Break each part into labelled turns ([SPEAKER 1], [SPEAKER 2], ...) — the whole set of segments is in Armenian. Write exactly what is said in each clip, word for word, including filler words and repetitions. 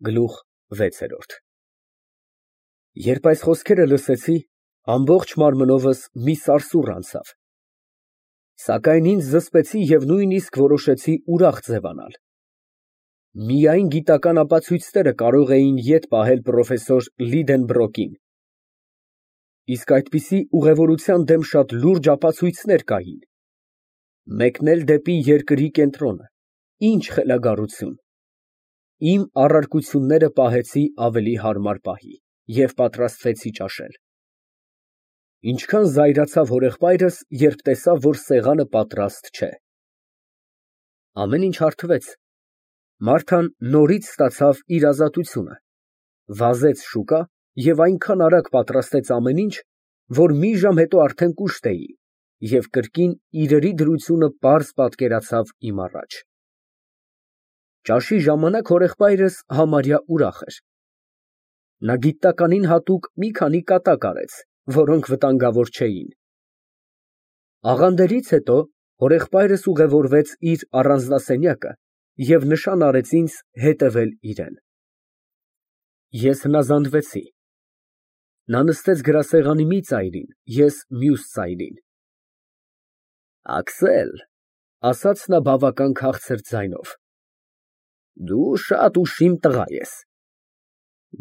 [SPEAKER 1] Գլուխ վեցերորդ Երբ այս խոսքերը լսեցի, ամբողջ մարմնովս մի սարսուռ անցավ, սակայն ինձ զսպեցի և նույնիսկ որոշեցի ուրախ ձևանալ. միայն գիտական ապացույցները կարող էին ետ պահել պրոֆեսոր Լիդենբրոկին, իսկ այդպիսի ուղևորության դեմ շատ լուրջ ապացույցներ կային. մեկն էլ դեպի երկրի կենտրոնը, ինչ խելագարություն, իմ առարկությունները պահեցի ավելի հարմար պահի և պատրաստվեցի ճաշել, ինչքան զայրացավ հորեղբայրս, երբ տեսավ, որ սեղանը պատրաստ չէ, ամեն ինչ հարթվեց, Մարթան նորից ստացավ իր ազատությունը, վազեց շուկա և այնքան արագ պատրաստեց ամեն ինչ, որ մի ժամ հետո արդեն կուշտ էի և կրկին իրերի դրությունը պարզ պատկերացավ իմ առաջ։ Ճաշի ժամանակ հորեղբայրս համարյա ուրախ էր։ Նա գիտնականին հատուկ մի քանի կատակ արեց, որոնք վտանգավոր չէին։ Աղանդերից հետո հորեղբայրս ուղևորվեց իր առանձնասենյակը և նշան արեց ինձ հետևել իրան։ Ես հնազանդվեցի։ Նա նստեց գրասեղանի մի ծայրին, ես մյուս ծայրին։ ֊ Աքսել, ֊ ասաց նա բավական քաղցր ձայնով, ֊ դու շատ ուշիմ տղա ես։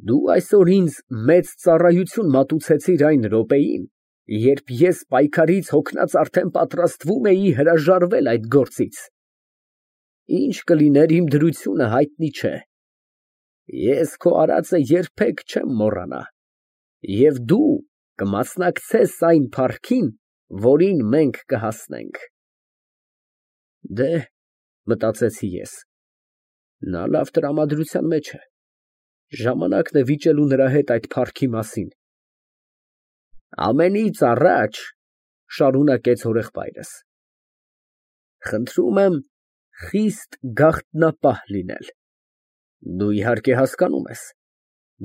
[SPEAKER 1] Դու այսօր ինձ մեծ ծառայություն մատուցեցիր այն րոպեին, երբ ես պայքարից հոգնած արդեն պատրաստվում էի հրաժարվել այդ գործից։ Ինչ կլիներ իմ դրությունը հայտնի չէ։ Ես քո արածը երբեք չեմ մոռանա, և դու կմասնակցես այն փառքին, որին մենք կհասնենք։ Դեհ, մտածեցի ես, նա լավ տրամադրության մեջ է, ժամանակն է վիճելու նրա հետ այդ փառքի մասին։ Ամենից առաջ, ֊ շարունակեց հորեղբայրս, ֊ խնդրում եմ խիստ գաղտնապահ լինել։ Դու, իհարկե, հասկանում ես,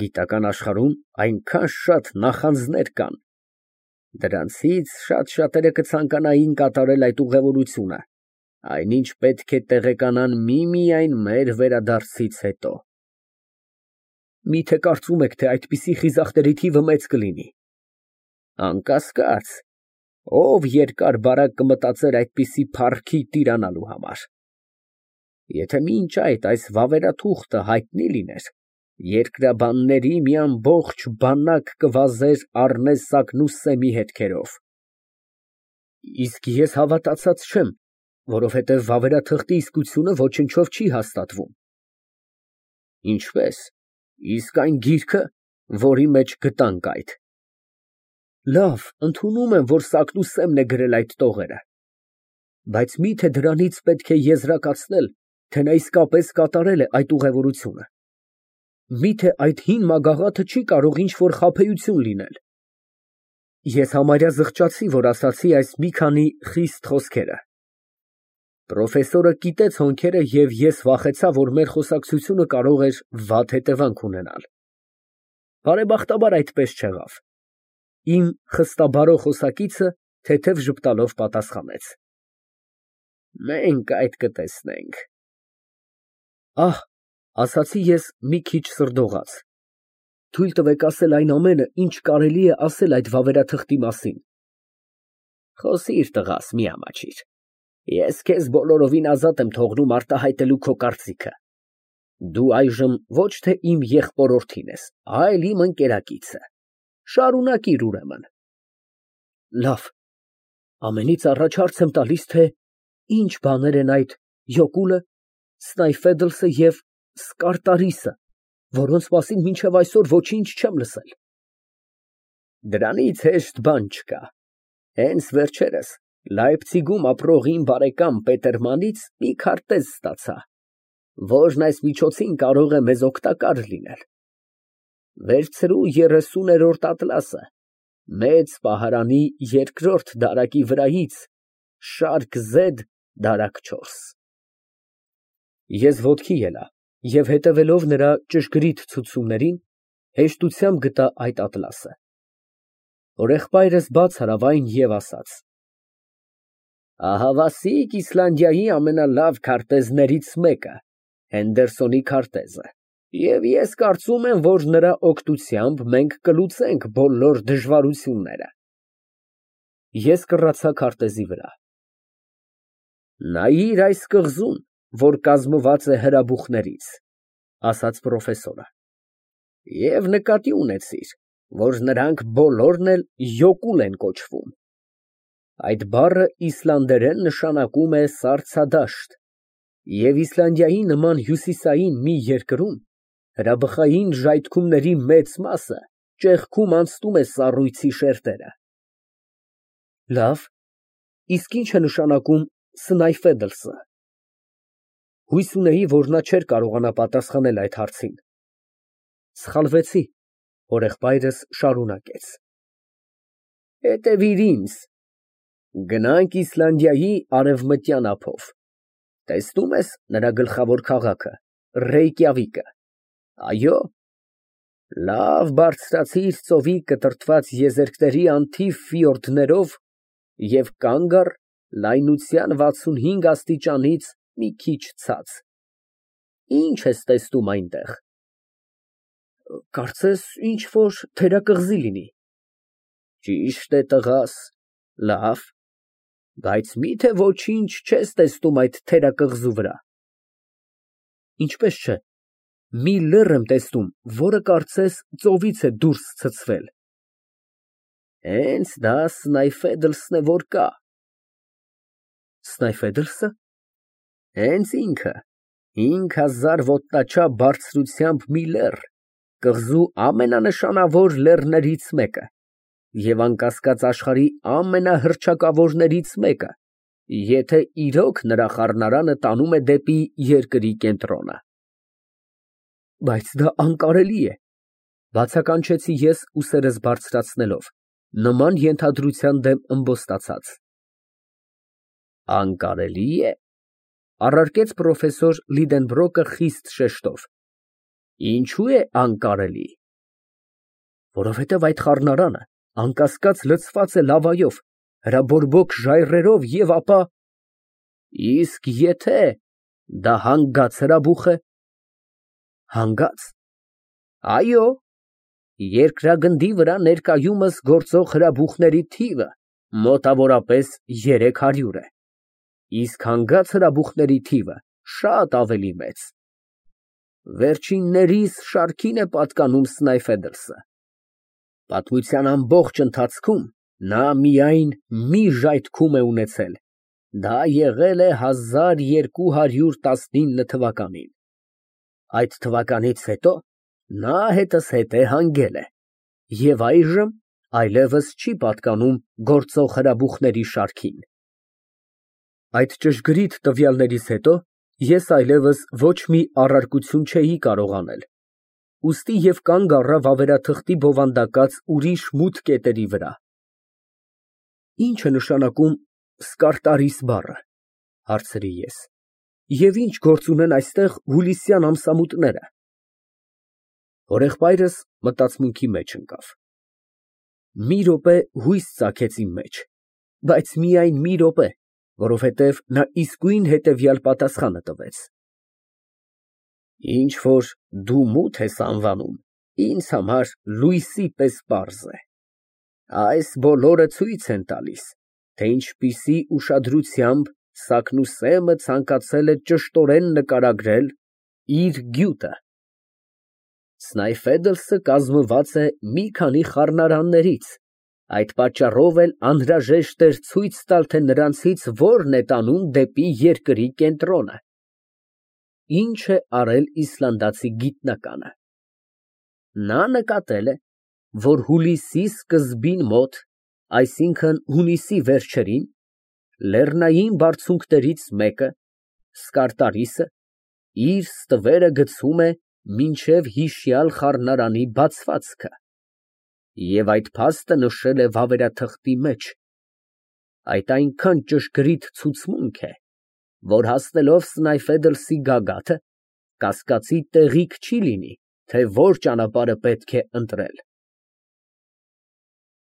[SPEAKER 1] գիտական աշխարհում այնքան շատ նախանձներ կան, դրանցից շատ֊շատերը կցանկանային կատարել այդ ուղևորությունը, այնինչ պետք է տեղեկանան միմիայն մեր վերադարձից հետո։ Մի՞թե կարծում եք, թե այդպիսի խիզախների թիվը մեծ կլինի։ Անկասկած, ով երկար֊բարակ կմտածեր այդպիսի փառքի տիրանալու համար։ Եթե մինչ այդ այս վավերաթուղթը հայտնի լիներ, երկրաբանների մի ամբողջ բանակ կվազեր Առնես-Սակնուս Սեմի հետքերով։ Իսկ ես հավատացած չեմ, որովհետև վավերաթղթի իսկությունը ոչնչով չի հաստատվում։ Ինչպե՞ս, իսկ այն գիրքը, որի մեջ գտանք այդ։ Լավ, ընդունում եմ, որ Սակնուս Սեմն է գրել այդ տողերը, բայց մի՞թե դրանից պետք է եզրակացնել, թե նա իսկապես կատարել է այդ ուղևորությունը։ Մի՞թե այդ հին մագաղաթը չի կարող ինչ֊որ խաբեություն լինել։ Ես համարյա զղջացի, որ ասացի այս մի քանի խիստ խոսքերը։ Պրոֆեսորը կիտեց հոնքերը և ես վախեցա, որ մեր խոսակցությունը կարող էր վատ հետևանք ունենալ։ Բարեբախտաբար այդպես չեղավ։ Իմ խստաբարո խոսակիցը թեթև ժպտալով պատասխանեց. Մենք այդ կտեսնենք։ Ահ, ասացի ես մի քիչ սրդողաց, թույլ տվեք ասել այն ամենը, ինչ կարելի է ասել այդ վավերաթղթի մասին։ Խոսիր, տղաս, մի ամաչիր, ես քեզ բոլորովին ազատ եմ թողնում արտահայտելու քո կարծիքը։ Դու այժմ ոչ թե իմ եղբորորդին ես, այլ իմ ընկերակիցը, շարունակիր ուրեմն։ Լավ, ամենից առաջ հարց եմ տալիս, թե ինչ բաներ են այդ յոկուլը, Սնայֆեդլսը և Սկարտարիսը, որոնց մասին մինչև այսօր ոչինչ չեմ լսել։ Դրանից հեշտ բան չկա։ Հենց վերջերս Լայպցիգում ապրող իմ բարեկամ Պետերմանից մի քարտեզ ստացա, որն այս միջոցին կարող է մեզ օգտակար լինել։ Վերցրու երեսուներորդ ատլասը, մեծ պահարանի երկրորդ դարակի վրայից, շարք զեդ, դարակ չորս։ Ես ոտքի ելա և հետևելով նրա ճշգրիտ ցուցումներին, հեշտությամբ գտա այդ ատլասը։ Հորեղբայրս բաց արավ այն և ասաց. Ահավասիկ Իսլանդիայի ամենալավ քարտեզներից մեկը, Հենդերսոնի քարտեզը։ Եվ ես կարծում եմ, որ նրա օգնությամբ մենք կլուծենք բոլոր դժվարությունները։ Ես կռացա քարտեզի վրա։ Նայիր այս կղզուն, որ կազմված է հրաբուխներից, ասաց պրոֆեսորը, և նկատի ունեցիր, որ նրանք բոլորն էլ յոկուլ են կոչվում։ Այդ բառը իսլանդերեն նշանակում է սառցադաշտ, և Իսլանդիայի նման հյուսիսային մի երկրում հրաբխային ժայթքումների մեծ մասը ճեղքում անցնում է սառույցի շերտերը։ Լավ, իսկ ի՞նչ է նշանակում Սնայֆեդլսը։ Հույս ունեի, որ նա չէր կարողանա պատասխանել այդ հարցին։ Սխալվեցի, հորեղբայրս շարունակեց. Հետևիր ինձ, գնանք Իսլանդիայի արևմտյան ափով, տեսնո՞ւմ ես նրա գլխավոր քաղաքը Ռեյկյավիկը, այո, լավ բարձրացիր ծովի կտրտված եզերքների անթիվ ֆիորդներով և կանգ առ լայնության վաթսունհինգ աստիճանից մի քիչ ցած, ի՞նչ ես տեսնում այնտեղ։ Կարծես ինչ֊որ թերակղզի լինի։ Ճիշտ է, տղաս, լավ, բայց մի՞թե ոչինչ չես տեսնում այդ թերակղզու վրա։ Ինչպես չէ, մի լեռ եմ տեսնում, որը կարծես ծովից է դուրս ցցվել։ Հենց դա Սնայֆեդլսն է, որ կա։ Սնայֆեդլսը։ Հենց ինքը, հինգ հազար ոտնաչափ բարձրությամբ մի լեռ, կղզու ամենանշանավոր լեռներից մեկը և անկասկած աշխարհի ամենահռչակավորներից մեկը, եթե իրոք նրա խառնարանը տանում է դեպի երկրի կենտրոնը։ Բայց դա անկարելի է, բացականչեցի ես ուսերս բարձրացնելով, նման ենթադրության դեմ ըմբոստացած։ Անկարելի է, առարկեց պրոֆեսոր Լիդենբրոկը խիստ շեշտով։ Ինչու է անկարելի։ Որովհետև այդ խառնարանը անկասկած լցված է լավայով, հրաբորբոք ժայռերով և ապա… Իսկ եթե դա հանգած հրաբուխ է։ Հանգա՞ծ։ Այո, երկրագնդի վրա ներկայումս գործող հրաբուխների թիվը մոտավորապես երեք հարյուր է, իսկ հանգած հրաբուխների թիվը շատ ավելի մեծ։ Վերջիններիս շարքին է պատկանում Սնայֆեդլսը։ Պատմության ամբողջ ընթացքում նա միայն մի ժայթքում է ունեցել, դա եղել է հազար երկու հարյուր տասնինը թվականին։ Այդ թվականից հետո նա հետզհետե հանգել է և այժմ այլևս չի պատկանում գործող հրաբուխների շարքին։ Այդ ճշգրիտ տվյալներից հետո ես այլևս ոչ մի առարկություն չէի կարող անել, ուստի և կանգ առա վավերաթղթի բովանդակած ուրիշ մութ կետերի վրա։ Ի՞նչ է նշանակում Սկարտարիս բառը, հարցրի ես, և ի՞նչ գործ ունեն այստեղ հուլիսյան ամսամութները։ Հորեղբայրս մտածմունքի մեջ ընկավ։ Մի րոպե հույս ծագեց իմ մեջ, բայց միայն մի րոպե, որովհետև նա իսկույն հետևյալ պատասխանը տվեց. Ինչ որ դու մութ ես անվանում, ինձ համար լույսի պես պարզ է։ Այս բոլորը ցույց են տալիս, թե ինչպիսի ուշադրությամբ Սագնուսեմը ցանկացել է ճշտորեն նկարագրել իր գյուտը։ Սնայֆեդլսը կազմված է մի քանի խառնարաններից, այդ պատճառով էլ անհրաժեշտ էր ցույց տալ, թե նրանցից որն է տանում դեպի երկրի կենտրոնը։ Ինչ է արել իսլանդացի գիտնականը։ Նա նկատել է, որ հուլիսի սկզբին մոտ, այսինքն հունիսի վերջերին, լեռնային բարձունքներից մեկը, Սկարտարիսը, իր ստվերը գցում է մինչև հիշյալ խառնարանի բացվածքը և այդ փաստը նշել է վավերաթղթի մեջ։ Այդ այնքան ճշգրիտ ցուցմունք է, որ հասնելով Սնայֆեդլսի գագաթը, կասկածի տեղիք չի լինի, թե որ ճանապարհը պետք է ընտրել։